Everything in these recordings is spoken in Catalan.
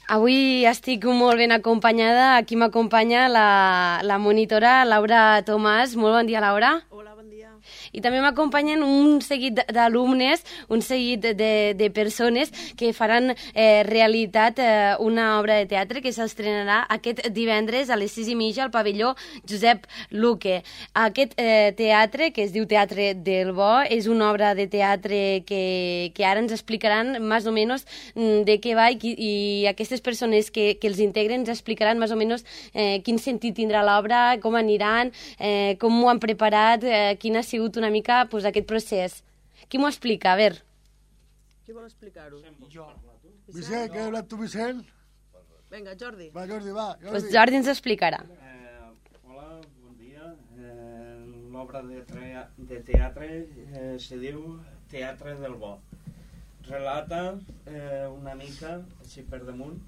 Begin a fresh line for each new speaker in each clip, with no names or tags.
Avui estic molt ben acompanyada. Aquí m'acompanya la monitora Laura Tomàs. Molt bon dia, Laura.
Hola, bon dia.
I també m'acompanyen un seguit d'alumnes, un seguit de persones que faran realitat una obra de teatre que s'estrenarà aquest divendres a les 6:30 al pavelló Josep Luque. Aquest teatre, que es diu Teatre del Bo, és una obra de teatre que ara ens explicaran més o menys de què va i aquestes persones que els integren ens explicaran més o menys quin sentit tindrà l'obra, com aniran, com ho han preparat, quin ha sigut una mica aquest procés. Qui m'ho explica? A veure.
Qui vol explicar-ho?
Jo. Vicent, què hablas tu, Vicent?
Vinga, Jordi.
Va, Jordi, va.
Doncs Jordi ens explicarà.
Hola, bon dia. L'obra de teatre se diu Teatre del Bo. Relata una mica, així per damunt,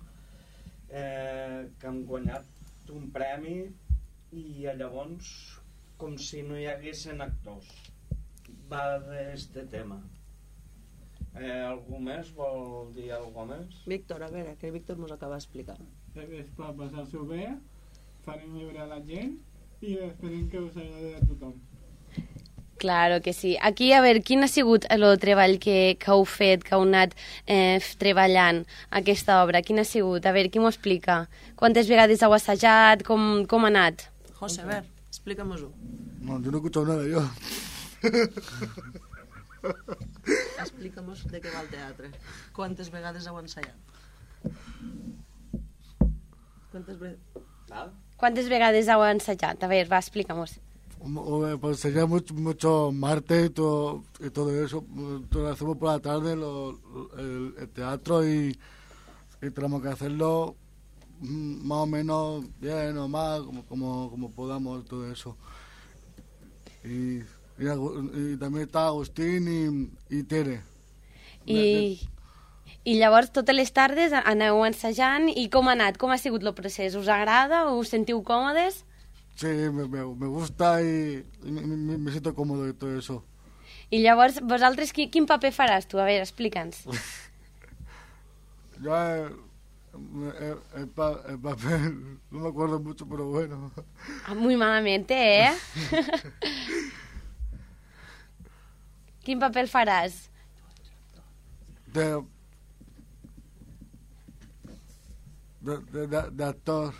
que han guanyat un premi i llavors com si no hi haguessin actors. Va d'este tema. Algú més vol dir alguna cosa més?
Víctor, a veure, que el Víctor mos acaba d'explicar.
Es per passar-s'ho bé, farem viure a la gent i esperem que us agradi a tothom.
Claro que sí. Aquí, a veure, quin ha sigut el treball que heu fet, que heu anat treballant aquesta obra? Quin ha sigut? A veure, qui m'ho explica? Quantes vegades heu assajat? Com ha anat?
José, a ver, explícame-ho.
No, yo no he escuchado nada, yo.
Explica'm-nos de què va el teatre. Quantes vegades heu ensaiat?
Quantes vegades heu ensajat? A veure, va, explica-nos.
Pues sería mucho martes y todo eso. Lo hacemos por la tarde, el teatro y tenemos que hacerlo más o menos bien o más, como podamos, todo eso. Y també està Agustín i Tere.
I llavors totes les tardes aneu ensajant i com ha anat? Com ha sigut el procés? Us agrada? Us sentiu còmodes?
Sí, me gusta y me siento cómodo y todo eso.
I llavors vosaltres quin paper faràs tu? A veure, explica'ns.
Yo el papel no me acuerdo mucho, pero bueno.
Muy malamente, ¿eh? Quin paper faràs?
D'actor.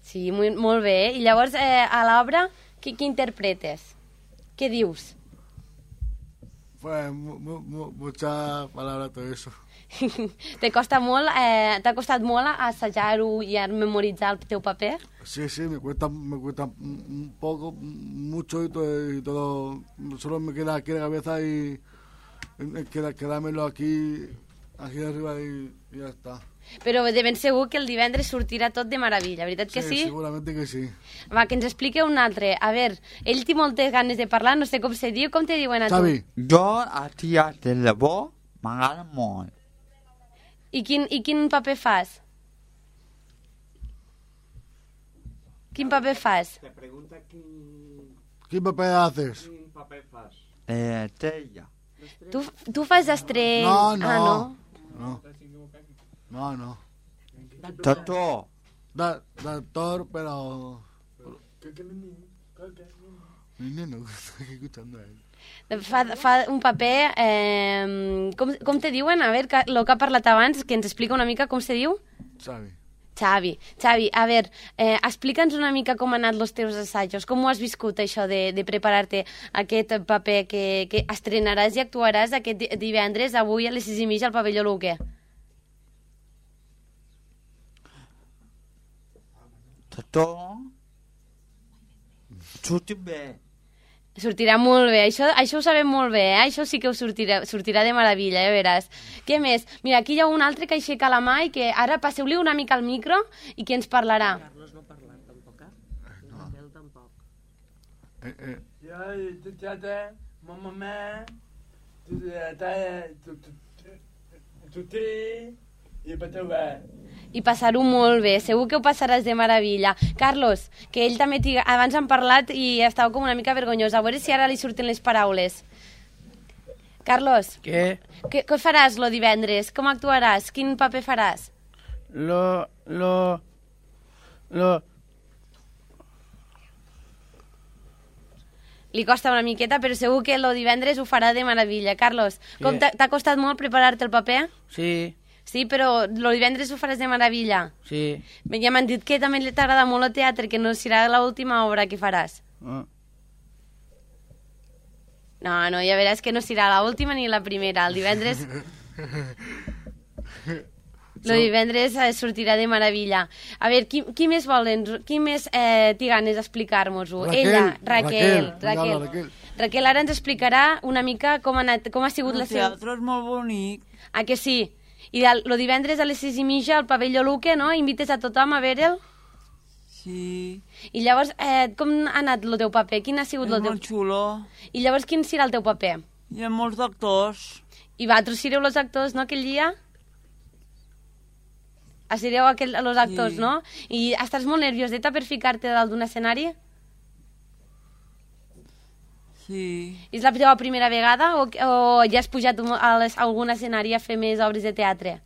Sí, molt bé. I llavors, a l'obra, què interpretes? Què dius?
Pues mucha palabra todo eso.
T'ha costat molt assajar-ho i memoritzar el teu paper?
Sí, me cuesta un poco, mucho y todo. Solo me queda aquí en la cabeza y quedármelo aquí arriba y ya está.
Però de ben segur que el divendres sortirà tot de meravella, veritat que sí?
Sí, seguramente que sí.
Va, que ens explique un altre. A veure, ell té moltes ganes de parlar, no sé com se diu, com te diuen a tu?
Xavi.
Jo a Teatre del Bo m'agrada molt.
I quin paper fas? Quin paper fas?
Te pregunta
¿Qué papel haces?
quin paper fas.
Tella.
Tu fas estrell...
No.
Tató.
D'actor, pero... Mi neno, estoy escuchando a él.
Fa un paper... Com te diuen? A veure, el que ha parlat abans, que ens explica una mica com se diu? Xavi, a veure, explica'ns una mica com han anat els teus assajos, com ho has viscut això de preparar-te aquest paper que estrenaràs i actuaràs aquest divendres, avui a les 6:30 al pavelló Luque.
Tató. Surti bé.
Sortirà molt bé, això ho sabem molt bé, això sí que us sortirà de meravella, ja veràs. Què més? Mira, aquí hi ha un altre que aixeca la mà i que ara passeu-li una mica al micro i que ens parlarà.
Carlos no parla tampoc,
No.
Ell tampoc.
Ja, tu teatre, mamma, tu té, i pateu bé.
I passar-ho molt bé, segur que ho passaràs de meravella. Carlos, que ell també abans han parlat i estava com una mica vergonyós, a veure si ara li surten les paraules. Carlos,
Què?
què faràs lo divendres? Com actuaràs? Quin paper faràs? Li costa una miqueta, però segur que el divendres ho farà de meravella. Carlos, com t'ha costat molt preparar-te el paper?
Sí,
Sí, però el divendres ho faràs de meravella.
sí.
Ja m'han dit que també t'agrada molt el teatre, que no serà l'última obra que faràs.
Ah.
No, ja veràs que no serà l'última ni la primera. El divendres... El divendres sortirà de meravella. A veure, qui més volen? Qui més té ganes d'explicar-nos-ho? Ella, Raquel. Raquel ara ens explicarà una mica com ha sigut la seva...
El teatre és molt bonic.
Ah, que sí? I el divendres a les 6:30 al pavelló Luque, no? Invites a tothom a veure'l?
Sí.
I llavors, com ha anat el teu paper? Quin ha sigut
És
el teu...
molt xulo.
I llavors, quin serà el teu paper?
Hi ha molts actors.
I vosaltres sereu els actors, no, aquell dia? Sereu els actors,
Sí.
no? I estàs molt nervioseta per ficar-te dalt d'un escenari?
Sí.
És la teva primera vegada o ja has pujat a algun escenari a fer més obres de teatre?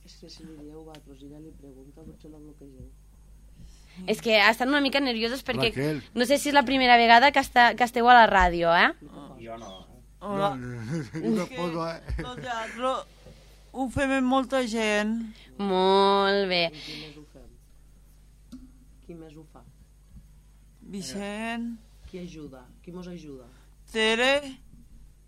És que si li dieu vosaltres i ella li pregunta, potser la bloquegeu.
És que estan una mica nerviosos perquè
Raquel.
no sé si és la primera vegada que esteu a la ràdio, eh?
Jo no.
Hola.
Yo tampoco,
El teatre ho fem amb molta gent.
Molt bé.
Qui més ho fem? Qui més ho fa?
Vicent,
Qui ajuda? Qui mos ajuda?
Tere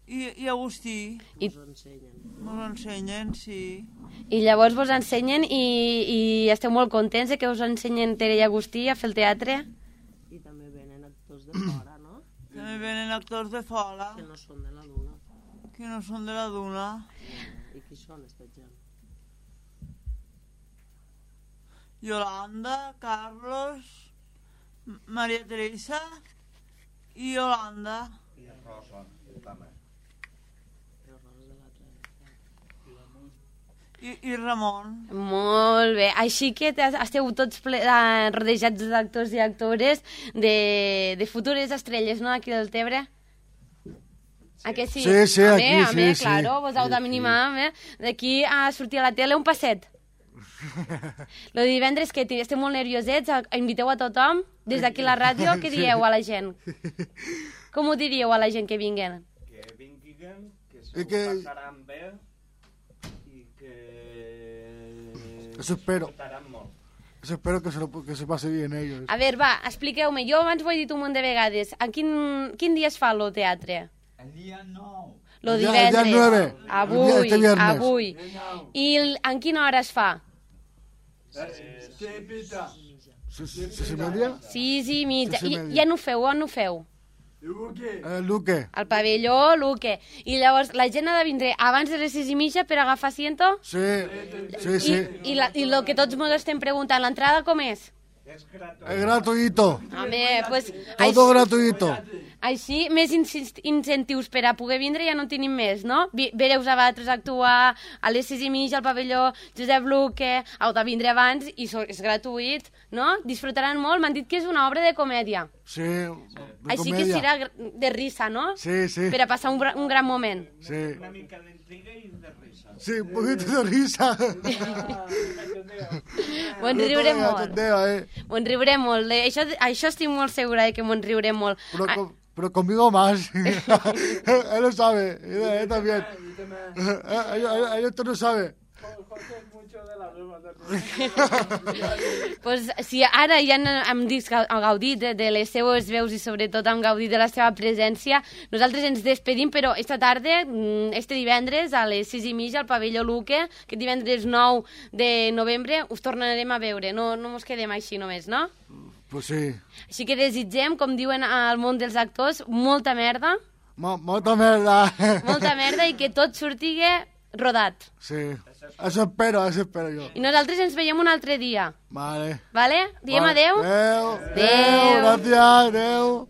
i Agustí.
I-
Mos ensenyen.
Ens ensenyen, sí.
I llavors vos ensenyen i esteu molt contents de que us ensenyen Tere i Agustí a fer el teatre?
I també venen actors de fora, no?
També venen actors de fora,
Que no són de la Duna.
que no són de la Duna.
I qui són, esta gent?
Yolanda, Carlos, Maria Teresa i Yolanda.
I Rosa, també.
Els rols de l'altre.
I Ramon.
Molt bé. Així que esteu tots rodejats d'actors i actores de futures estrelles, no?, aquí del Tebre? A que sí?
Sí, sí, aquí,
home,
sí,
claro,
sí.
vos heu d'animar, d'aquí a sortir a la tele un passet. Lo de divendres que esteu molt nerviosets, inviteu a tothom, des d'aquí la ràdio, què dieu a la gent? Com ho diríeu a la gent que vinguen?
Que vinguin, que
I
s'ho
que-
passaran bé i que...
Eso espero.
Disfrutaran molt.
Eso espero que se pase bien ellos.
A veure, va, expliqueu-me. Jo abans ho he dit un munt de vegades. En quin dia es fa el teatre?
El dia 9.
Lo
El dia
divendres.
9.
Avui,
Este viernes.
avui. I en quina hora es fa?
Què pita?
¿Se media?
6:30.
6:30.
I on ho feu? On ho feu?
Luque.
Luque.
Al pavelló Luque. I llavors la gent ha de vindre abans de les 6:30 per agafar asiento?
Sí, sí, sí.
I el que tots ens estem preguntant, l'entrada com és?
És gratuït.
Es gratuito.
Home, pues,
Todo gratuito.
així, més incentius per a poder vindre ja no en tenim més, no? Vereu a vosaltres actuar a les 6:30 al pavelló Josep Luque, heu de vindre abans i és gratuït, no? Disfrutaran molt, m'han dit que és una obra de comèdia.
Sí, de
Així que
comedia.
serà de risa, no?
Sí, sí.
Per a passar un gran moment.
Sí.
Una mica d'intriga i de risa.
Sí, un poquito de risa.
M'ho riurem molt.
Cachondeo,
M'ho riurem molt. Això estic molt segura de que m'ho riurem molt.
Pero conmigo más. Él lo sabe. Él también. Él esto no sabe.
José es mucho de la broma también.
Pues, si ara ja hem gaudit de les seues veus i sobretot hem gaudit de la seva presència, nosaltres ens despedim, però esta tarda, este divendres, a les 6:30 al pavelló Luque, que divendres 9 de novembre, us tornarem a veure. No mos quedem així només, no?
Pues sí.
Així que desitgem, com diuen al món dels actors, molta merda,
Molta merda.
molta merda i que tot surtigue rodat.
Sí. Eso espero yo.
I nosaltres ens veiem un altre dia,
Vale.
vale? Diem adeu?
Adeu.
Adeu.
Gracias. Adeu.